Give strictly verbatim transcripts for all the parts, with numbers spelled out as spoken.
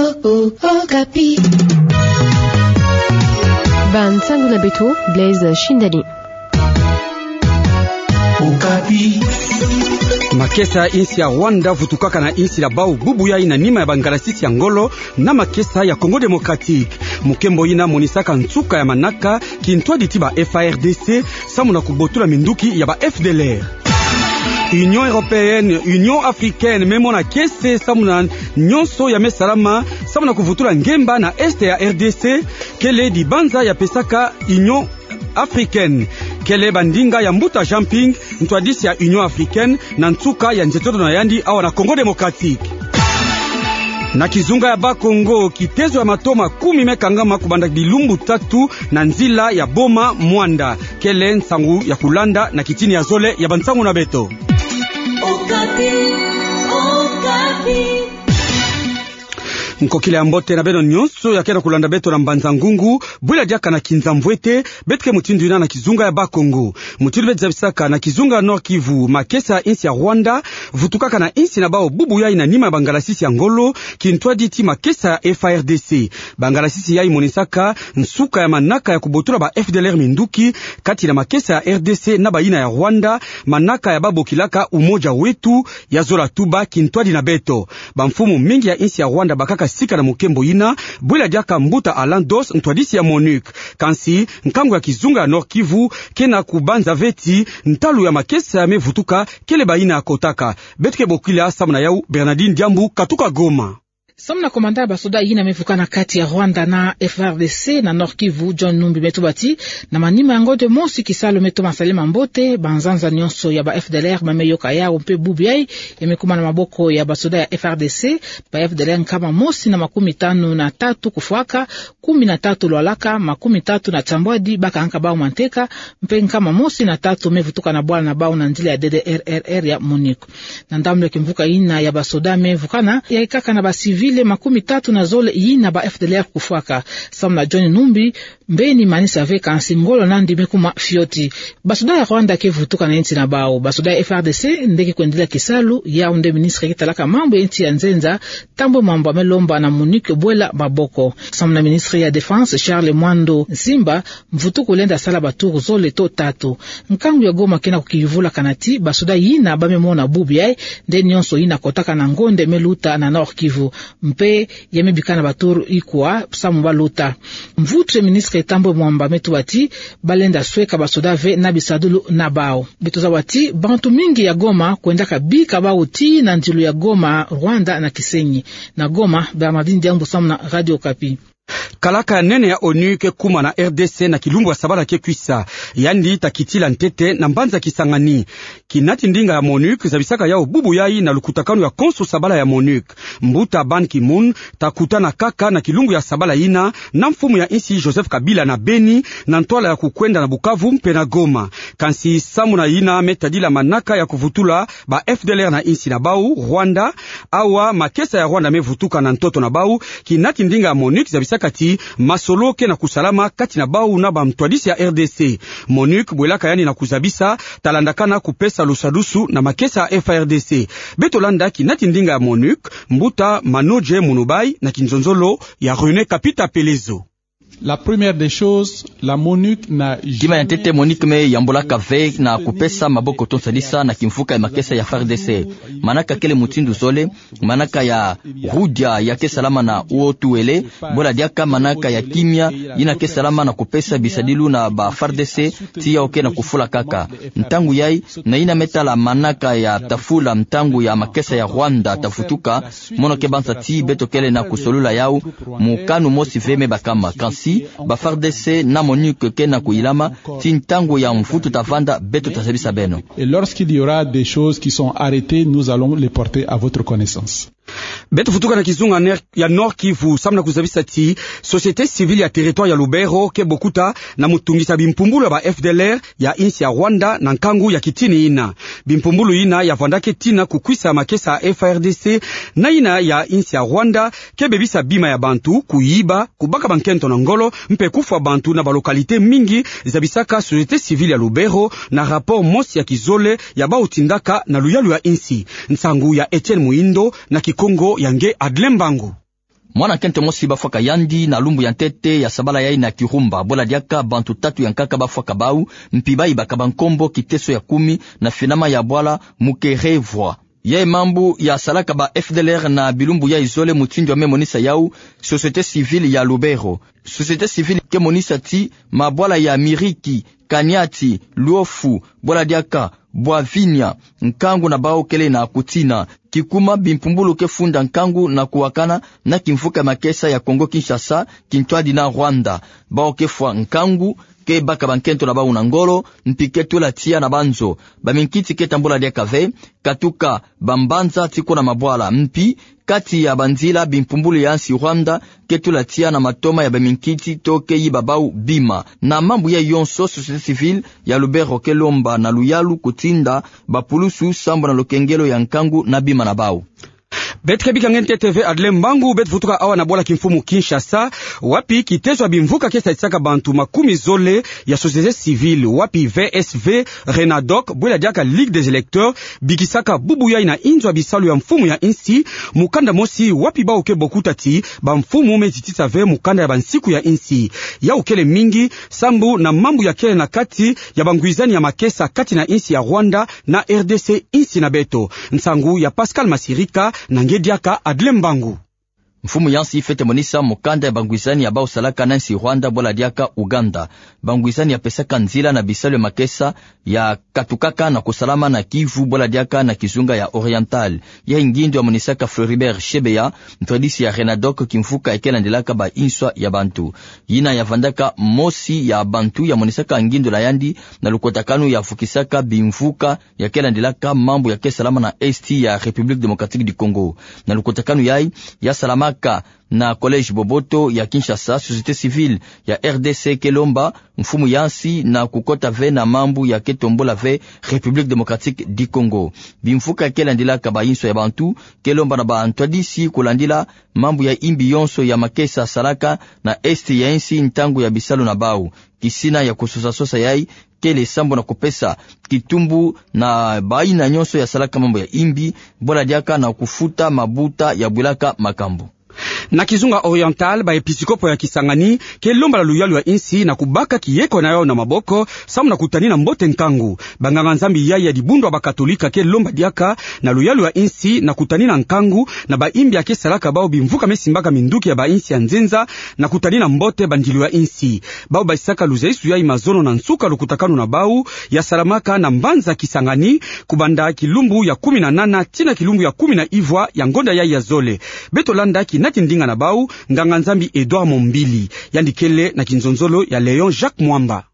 Okapi. Bansangu na beto, Blaise Shindani. Okapi. Makesa ya insi ya Rwanda vutukaka na insi na bau bubu yai na nima ya bangalasisi ya ngolo na makesa ya Congo Démocratique. Mokembo yina monisaka nsuka ya manaka kintwadi ti ba F A R D C samu na kubotula minduki ya ba F D L R. Union Européenne, Union Africaine me mona kiese samu na nyonso ya me salama samu na kuvutula ngemba na Est ya R D C, kele dibanza ya pesaka Union Africaine. Kele bandinga ya mbuta Jinping, ntwadisi ya Union Africaine, na nsuka ya nzietolo na yandi awa na Congo Démocratique. Na kizunga ya Bas-Congo, kitezo ya mato makumi me kangama kubanda bilumbu tatu na nzila ya Boma Muanda. Kele nsangu ya kulanda na kitini ya zole ya bansangu na beto. Okapi, Okapi. Nkokila ya mbote na beno nyonso ya ke na kulanda beto na Mbanza Ngungu, bwila diaka na kinza mvwete, beto ke mutindu yina na kizunga ya Bas-Congo. Mutindu beto zabisaka na kizunga ya Nord-Kivu, makesa ya insi ya Rwanda vutukaka na insi na bau bubu yai na nima ya bangalasisi ya ngolo, kintwadi ti makesa ya F A R D C. Bangalasisi yai monisaka nsuka ya manaka ya kubotula ba F D L R minduki kati na makesa ya R D C na bayina ya Rwanda, manaka ya babokilaka Umoja Wetu, ya zola tuba kintwadi na beto. Bamfumu mingi ya insi ya Rwanda bakaka sika na mokembo yina, bwila diaka mbuta Alain Dos, ntwadisi ya MONUC. Kansi, nkangu ya kizunga ya Nord-Kivu ke na kubanza ve ti ntalu ya makesa ya me vutuka kele bayina ya kotaka. Beto ke bokila samu na yau Bernardine Diambu katuka Goma. Samu na komanda ya basoda yina me vukana kati ya Rwanda na F A R D C na Nord-Kivu, John Numbi, me tuba ti na manima ya ngonde mosi kisalu me toma salama mbote, banzanza nyonso ya ba F D L R ba me yoka yau mpe bubu yai ya me kuma na maboko ya basoda ya F A R D C, ba F D L R nkama mosi na makumi tanu na tatu kufwaka, kumi na tatu lwalaka, makumi tatu na tiambwadi bakangaka bau manteka, mpe nkama mosi na tatu me vutuka na bwala na bau na nzila ya D D R R R ya MONUC. Na ndambu ya kimvuka yina ya basoda me vukana, yaikaka na ba civil makumi tatu na zole yina ba F D L R kufwaka. Samu na John Numbi, mbeni manisa ve kansi ngolo nandi me kuma fioti. Basoda ya Rwanda ke vutuka na insi na bau. Basoda ya F A R D C nde ke kwendila kisalu, yau nde ministre ke talaka mambu ya insi ya nzenza, Tambwe Mwamba, me lomba na MONUC bwela maboko. Samu na ministre ya Défense, Charles Mwando Nsimba, mvutuku lenda sala ba tour zole to tatu. Nkangu ya Goma ke na kukiyuvula kana ti basoda yina ba me mona bubu yai, nde nyonso yina kotaka na ngonde me luta na Nord-Kivu. Mpe ya me bika na ba tour ikwa samu ba luta. Mvutu ya ministre Tambwe Mwamba me tuba ti ba lenda sweka basoda ve na bisadulu na bau. Beto zaba ti bantu mingi ya Goma kwendaka bika bau tii na ndilu ya Goma, Rwanda na Kisenyi. Na Goma, Bernardine Diambu samu na Radio Okapi. Kalaka ya nene ya ONU ke kuma na R D C na kilumbu ya sabala ke kwisa. Yandi ta kitila ntete na mbanza Kisangani. Kinati ndinga ya MONUC zabisaka yau bubu yai na lukutakanu ya konso sabala ya MONUC. Mbuta Ban Ki-moon ta kutana kaka na kilumbu ya sabala yina na mfumu ya insi Joseph Kabila na Beni, na ntwala ya kukwenda na Bukavu mpe na Goma. Kansi samu na yina me tadila manaka ya kuvutula ba F D L R na insi na bau, Rwanda, awa makesa ya Rwanda me vutuka na ntoto na bau, kinati ndinga ya MONUC zabisaka ti masolo ke na kusalama kati na bau na bamtwadisi ya R D C. MONUC bwelaka yandi na kuzabisa, ta landakana kupesa lusadusu na makesa ya F A R D C. Beto landa kinati ndinga ya MONUC, mbuta Manodje Munubai na kinzonzolo ya René Kapita Pelezo. La première des choses, la MONUC n'a... Kima ya ntete, MONUC me yambolaka ve na kupesa maboko to nsadisa na kimvuka ya makesa ya F A R D C. Manaka kele mutindu zole, manaka ya rudia ya ke salama na uo tuele, bwela diaka manaka ya kimia yina ke salama na kupesa bisadilu na ba F A R D C, tii yau ke na kufula kaka. Ntangu yai, na yina me tala manaka ya tafula ntangu ya makesa ya Rwanda ta vutuka, mono ke banza ti beto kele na kusolula yau, mokanu mosi ve me bakama. Kansi ba F A R D C na MONUC ke na kuyilama, ti ntangu ya mvutu ta vanda, beto ta zabisa beno. Et lorsqu'il y aura des choses qui sont arrêtées, nous allons les porter à votre connaissance. Beto vutuka na kizunga ner-, ya Nord-Kivu, samu na kuzabisa ti société civile ya territoire ya Lubero ke bokuta na mutungisa bimpumbulu ya ba F D L R ya insi ya Rwanda na nkangu ya kitini yina. Bimpumbulu yina ya vanda ke tina kukwisa makesa ya F A R D C na yina ya insi ya Rwanda, ke bebisa bima ya bantu, kuyiba, kubaka bankento na ngolo, mpe kufwa bantu na ba localité mingi, zabisaka société civile ya Lubero na rapport mosi ya kizole ya bau tindaka na luyalu ya insi. Nsangu ya Etienne Muindo na Kikongo ya nge Adlin Mbangu. Mwana nkento mosi bafwaka yandi na lumbu ya ntete ya sabala yayi na Kirumba, bwela diaka bantu tatu ya nkaka bafwaka bau, mpi bayibaka bankombo Kiteso ya Kumi na Finama ya Bwala Mukerevwa. Yayi mambu yasalaka ba F D L R na bilumbu yayi zole, mutindu ya me monisa yau société civile ya Lubero. Société civile ke monisa ti mabwala ya Miriki, Kaniati, Luofu, bwela diaka Bwavinia, nkangu na bau kele na kutina. Kikuma bimpumbulu ke funda nkangu na kuwakana na kimvuka ya makesa ya Congo Kinshasa, kintwadi na Rwanda. Bau ke fwa nkangu, ke baka bankento na bau na ngolo, mpi ke tula tiya na banzo. Baminkiti ke tambula diaka ve, katuka bambanza ti kuna mabwala, mpi kati ya banzila bimpumbulu ya nsi Rwanda ke tula tiya na matoma ya baminkiti to ke yiba bau bima. Na mambu yayi yonso, société civile ya Lubero ke lomba na luyalu kutinda bapulusu sambu na lukengelo ya nkangu na bima na bau. Beto ke bika nge ntete ve Adle Mbangu, beto vutuka awa na bwala kimfumu Kinshasa, wapi kitezo ya bimvuka ke sadisaka bantu makumi zole ya société civile, wapi V S V, Renadoc, bwela diaka Ligue des électeurs, bikisaka bubu yayi na inzo ya bisalu ya mfumu ya nsi, mukanda mosi wapi bau ke bokuta ti bamfumu me zitisa ve mukanda ya bansiku ya nsi. Yau kele mingi sambu na mambu ya kele na kati ya bangwizani ya makesa kati na nsi ya Rwanda na R D C, nsi na beto. Nsangu ya Pascal Masirika, na nge diaka Adle Mbangu. Mfumu ya nsi fwete monisa mukanda ya bangwizani ya bau salaka na nsi Rwanda, bwela diaka Uganda. Bangwizani ya pesaka nzila na bisalu ya makesa ya katukaka na kusalama na Kivu, bwela diaka na kizunga ya Oriental. Yayi ngindu ya monisaka Floribert Chebeya, ntwadisi ya Renadoc, kimvuka ya ke landilaka ba inswa ya bantu. Yina ya vandaka mosi ya bantu ya monisaka ngindu na yandi na lukotakanu ya vukisaka bimvuka ya ke landilaka mambu ya ke salama na Est ya République Démocratique du Congo. Na lukotakanu yayi, ya salamaka na Collège Boboto ya Kinshasa, société civile ya R D C ke lomba mfumu ya nsi na kukota ve na mambu ya ke tombula ve République Démocratique du Congo. Bimvuka ya ke landilaka ba inswa ya bantu ke lomba na bantwadisi kulandila mambu ya imbi yonso ya makesa salaka na Est ya nsi ntangu ya bisalu na bau, kisina ya kusosa-sosa yayi kele sambu na kupesa kitumbu na bayina nyonso ya salaka mambu ya imbi, bwela diaka na kufuta mabuta ya bwilaka makambu. Na kizunga Oriental, baepisikopo ya Kisangani ke lomba na luyalu ya nsi na kubaka kiyeko na yau na maboko sambu na kutanina mbote nkangu. Banganga-Nzambi yayi ya dibundu ya bakatolika ke lomba diaka na luyalu ya nsi na kutanina nkangu na baimbi ya ke salaka bau bimvuka me simbaka minduki ya bainsi ya nzenza, na kutanina mbote bandilu ya nsi. Bau basadisaka luzaisu yayi mazono na nsuka lukutakanu na bau ya salamaka na mbanza Kisangani, kubanda kilumbu ya kumi na nana tii na kilumbu ya kumi na ivwa ya ngonda yayi ya zole. Beto landa kinati ndinga na bau, nganga-Nzambi Edouard Mombili. Yandi kele na kinzonzolo ya Léon Jacques Mwamba.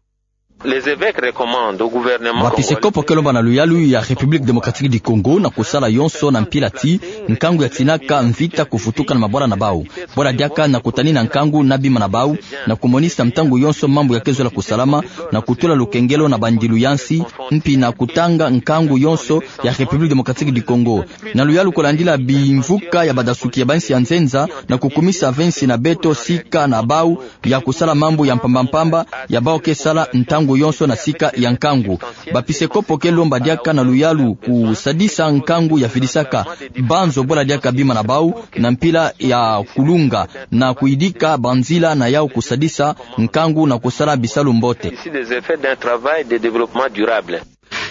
Les évêques recommandent au gouvernement congolais. Baepisikopo ke lomba na luyalu ya République Démocratique du Congo na kusala yonso na mpila ti nkangu ya tinaka mvita kuvutuka na mabwala na bau, bwela diaka na kutanina nkangu na bima na bau, na kumonisa ntangu yonso mambu ya ke zola kusalama, na kutula lukengelo na bandilu ya nsi, mpi na kutanga nkangu yonso ya République Démocratique du Congo. Na luyalu kulandila bimvuka ya badasuki ya bainsi ya nzenza, na kukumisa ve nsi na beto sika na bau ya kusala mambu ya mpamba-mpamba ya bau ke sala ntangu yonso na sika ya nkangu. Baepisikopo ke lomba diaka na luyalu kusadisa nkangu ya vidisaka banzo, bwela diaka bima na bau, na mpila ya kulunga, na kuyidika banzila na yau kusadisa nkangu na kusala bisalu mbote. Ici des effets d'un travail de développement durable.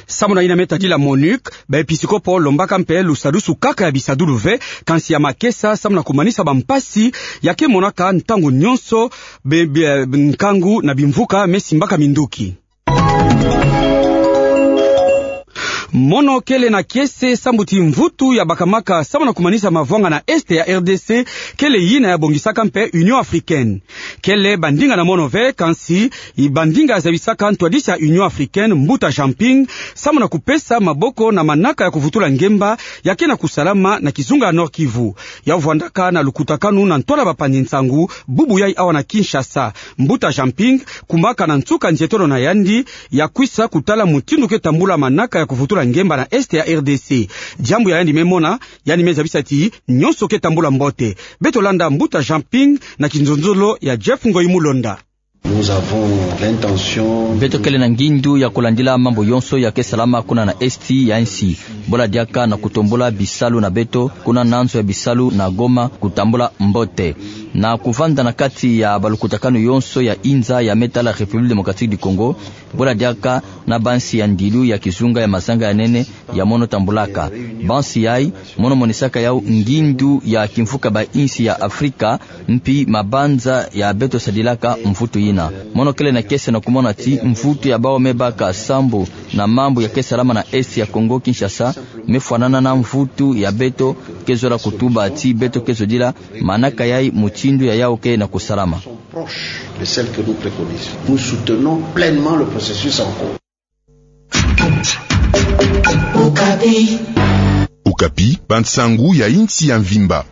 Samu na yina me tadila MONUC, baepisikopo lombaka mpe lusadusu kaka ya bisadulu ve, kansi ya makesa, samu na kumanisa bampasi ya ke monaka ntangu nyonso be, be, nkangu na bimvuka me simbaka minduki. Mono kele na kiese sambu ti mvutu ya bakamaka samu na kumanisa mavwanga na Est ya R D C, kele yina ya bongisaka mpe Union Africaine. Kele bandinga na mono ve, kansi bandinga zabisaka ntwadisi ya Union Africaine, Mbuta Jean Ping, samu na kupesa maboko na manaka ya kuvutula ngemba ya ke na kusalama na kizunga ya Nord-Kivu. Ya vwandaka na lukutakanu na ntwala bapanzi nsangu bubu yayi awa na Kinshasa. Mbuta Jean Ping kumaka na nsuka nzietolo na yandi ya kwisa kutala mutindu ke tambula manaka ya kuvutula ngemba na Est ya R D C. Diambu ya yandi me mona, yandi me zabisa ti nyonso ke tambula mbote. Beto landa Mbuta Jean Ping na kinzonzolo ya Jeff Ngoyi Mulonda. Beto kele na ngindu ya kulandila mambu yonso ya ke salama kuna na esti ya nsi, bola diaka na kutombula bisalu na beto kuna na nzo ya bisalu na Goma, kutambula mbote na kuvanda na kati ya balukutakanu yonso ya inza ya me tala République Démocratique du Congo, bola diaka na bansi ya ndilu ya kizunga ya mazanga ya nene ya mono tambulaka. Bansi yayi mono monisaka yau ngindu ya kimvuka ba insi ya Afrika, mpi mabanza ya beto sadilaka mvutu yina. Mono kele na kiese na kumona ti mvutu ya bau me baka sambu na mambu ya ke salama na esti ya Congo Kinshasa me fwanana na mvutu ya beto ke zola kutuba ti beto ke zodila manaka yayi mutindu ya yau ke na kusalama. Proche de celle que nous préconisons. Nous soutenons pleinement le processus en cours. Okapi, bansangu ya insi ya mvimba.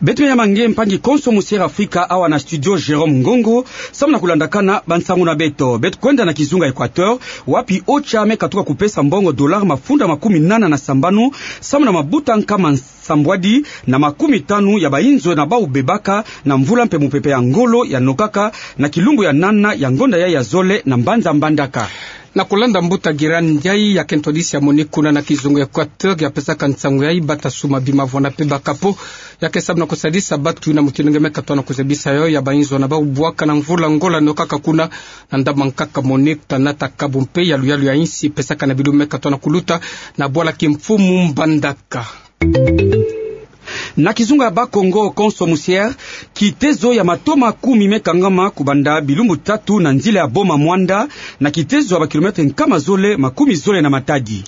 Beto ya mange mpangi konso musiere Afrika awa na studio Jérôme Ngongo, samu na kulandakana bansangu na beto. Beto kwenda na kizunga Équateur, wapi OCHA me katuka kupesa mbongo dollar mafunda makumi nana na sambanu, samu na mabuta nkama sambwadi na makumi tanu ya bainzo na bau bebaka na mvula mpe mupepe ya ngolo ya nokaka na kilumbu ya nana ya ngonda yayi ya zole na mbanza Mbandaka. Na kulanda mbuta Giran Ndiaye ya ke ntwadisi ya MONUC kuna na kizunga Équateur ya pesaka nsangu yayi bata suma bima vwanda mpe bakapo ya ke samu na kusadisa batu na mutindu nge me katuka na kuzebisa yo ya bainzo na bau bwaka na mvula ngolo ya nokaka kuna na ndambu nkaka MONUC ta nata kabu mpe ya luyalu ya insi pesaka na bilumbu me katuka na kuluta na bwala kimfumu Mbandaka. Na kizunga ya Bas-Congo konso musiere, kitezo ya mato makumi me kangama kubanda bilumbu tatu na nzila ya Boma-Muanda, na kitezo ya ba kilomètre nkama zole makumi zole na Matadi.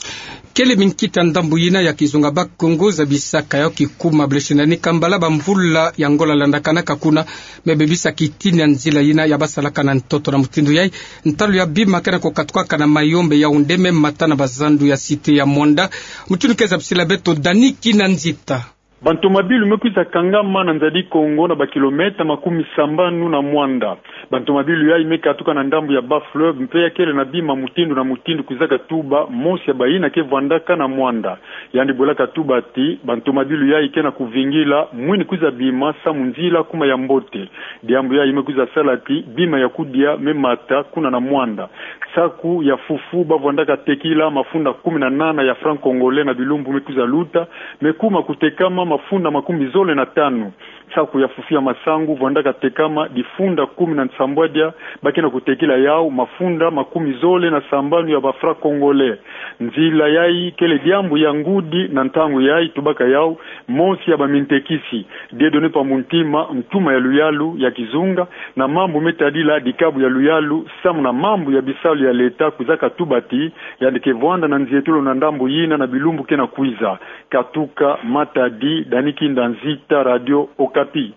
Kele minkita ndambu yina ya kizunga Bas-Congo zabisaka yo kikuma Blaise Ndani Kambala ba mvula ya ngolo landakanaka kuna me bebisa kitini ya nzila yina ya basalaka na ntoto. Na mutindu yayi, ntalu ya bima ke na kukatukaka na Mayombe, Yaoundé me mata na bazandu ya cité ya Muanda. Mutindu ke zabisila beto Dani Kinanzita. Bantomabilu me kwiza kangama na nzadi Congo na ba kilomètre makumi sambanu na Muanda. Bantomabilu yayi me katuka na ndambu ya Bas-Fleuve mpe ya kele na bima mutindu na mutindu kwiza katuba mosi ya bayina ke vwandaka na Muanda. Yandi bwela katuba ti bantomabilu yayi ke na kuvingila mwini kwiza bima samu nzila kuma ya mbote. Diambu yayi me kwiza sala ti bima ya kudia me mata kuna na Muanda. Saku ya fufu ba vwandaka tekila mafunda kumi na nana ya franc congolais na bilumbu me kwiza luta, me kuma kutekama mafunda makumi zole na tanu. Saku ya fufu ya masangu vwandaka tekama difunda kumi na nsambwadia, ba ke na kutekila yau mafunda makumi zole na sambanu ya ba franc congolais. Nzila yayi kele diambu ya ngudi na ntangu yayi, tubaka yau mosi ya bamintekisi. Dieudonné Pambuntima, ntuma ya luyalu ya kizunga na mambu me tadila dikabu ya luyalu samu na mambu ya bisalu ya leta, kwiza katuba ti yandi ke vwanda na nzietolo na ndambu yina na bilumbu ke na kwiza. Katuka Matadi, Dani Kinanzita, Radio Okapi.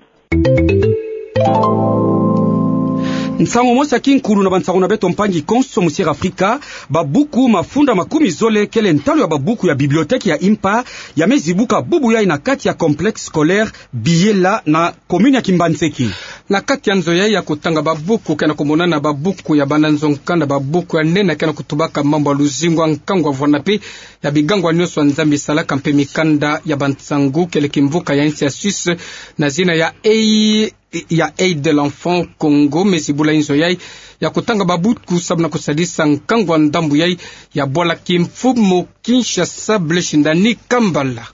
Nsangu mosi ya kinkulu na bansangu na beto mpangi konso musiere Afrika. Babuku mafunda makumi zole kele ntalu ya babuku ya bibliothèque ya impa ya me zibuka bubu yayi na kati ya complexe scolaire Biyela na commune ya Kimbanseke. Na kati ya nzo yayi ya kutanga babuku ke na kumonana babuku ya bana nzo-nkanda, babuku ya nene ke na kutubaka mambu ya luzingu, nkangu ya vwanda mpe ya bigangu nyonso ya Nzambi salaka mpe mikanda ya bansangu, kele kimvuka ya insi ya Suisse na zina ya Aide, ya Aide de l'Enfant Congo me zibula inzo yayi ya kutanga babuku samu na kusadisa nkangu ya ndambu yayi ya bwala kimfumu Kinshasa, Blaise Ndani Kambala.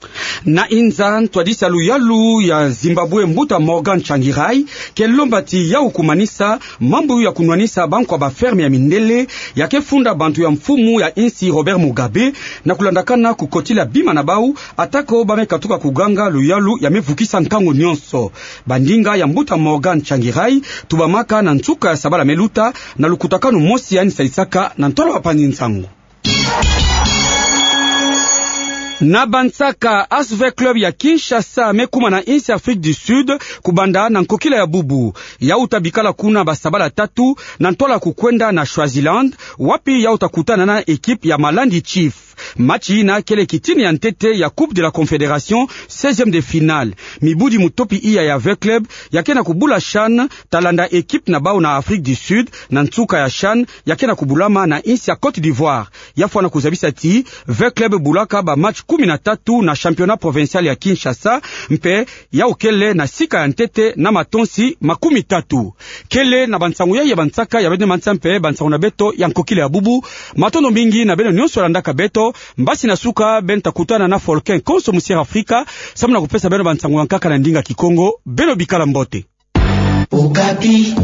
Na inza, ntwadisi ya luyalu ya Zimbabwe, mbuta Morgan Tsvangirai, ke lomba ti yau kumanisa mambu ya kunwanisa bankwa ba ferme ya mindele ya ke funda bantu ya mfumu ya insi Robert Mugabe, na kulandakana kukotila bima na bau, atako ba me katuka kuganga luyalu ya me vukisa nkangu nyonso. Bandinga ya mbuta Morgan Tsvangirai tubamaka na nsuka ya sabala me luta na lukutakanu mosi yandi sadisaka na ntwala ya bapanzi nsangu. Na bansaka, A S V Club ya Kinshasa me kuma na insi Afrique du Sud kubanda na nkokila ya bubu. Yau ta bikala kuna ba sabala tatu na ntwala kukwenda na Swaziland, wapi yau ta kutana na équipe ya Malandi Chief. Match yina kele kitini ya ntete ya Coupe de la Confédération, seizième de finale. Mibudi mutopi iya ya vingt clubs ya ke na kubula CHAN, ta landa équipe na bau na Afrique du Sud, na nsuka ya CHAN ya ke na kubulama na insi ya Côte d'Ivoire. Ya fwana kuzabisa ti vingt clubs bulaka ba match kumi na tatu na championnat provincial ya Kinshasa, mpe yau kele na sika ya ntete na matonsi makumi tatu. Kele na bansangu yai ya bansaka ya beno mansa mpe bansangu na beto ya nkokila ya bubu. Matondo mingi na beno nyonso landaka beto. Mbasi na suka, beno ta kutana na Folkin Konso Musiere Afrika, samu na kupesa beno bansangu ya nkaka na ndinga Kikongo. Beno bikala mbote. Okapi.